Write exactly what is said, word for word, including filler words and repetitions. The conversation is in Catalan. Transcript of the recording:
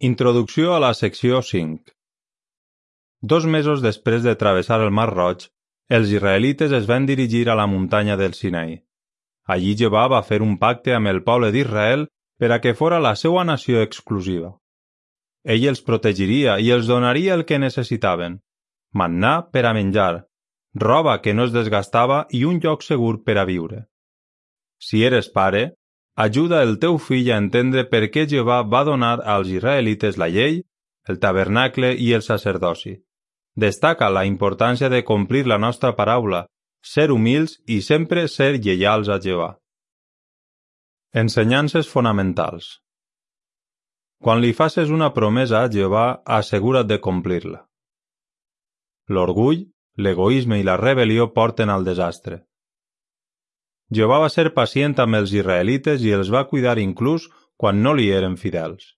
Introducció a la secció cinc. Dos mesos després de travessar el Mar Roig, els israelites es van dirigir a la muntanya del Sinai. Allí Jehovà va fer un pacte amb el poble d'Israel per a que fora la seva nació exclusiva. Ell els protegiria i els donaria el que necessitaven: mannà per a menjar, roba que no es desgastava i un lloc segur per a viure. Si eres pare, ajuda el teu fill a entendre per què Jehovà va donar als israelites la llei, el tabernacle i el sacerdoci. Destaca la importància de complir la nostra paraula, ser humils i sempre ser lleials a Jehovà. Ensenyances fonamentals. Quan li faces una promesa a Jehovà, assegura't de complir-la. L'orgull, l'egoisme i la rebel·lió porten al desastre. Jehovà va ser pacient amb els israelites i els va cuidar inclús quan no li eren fidels.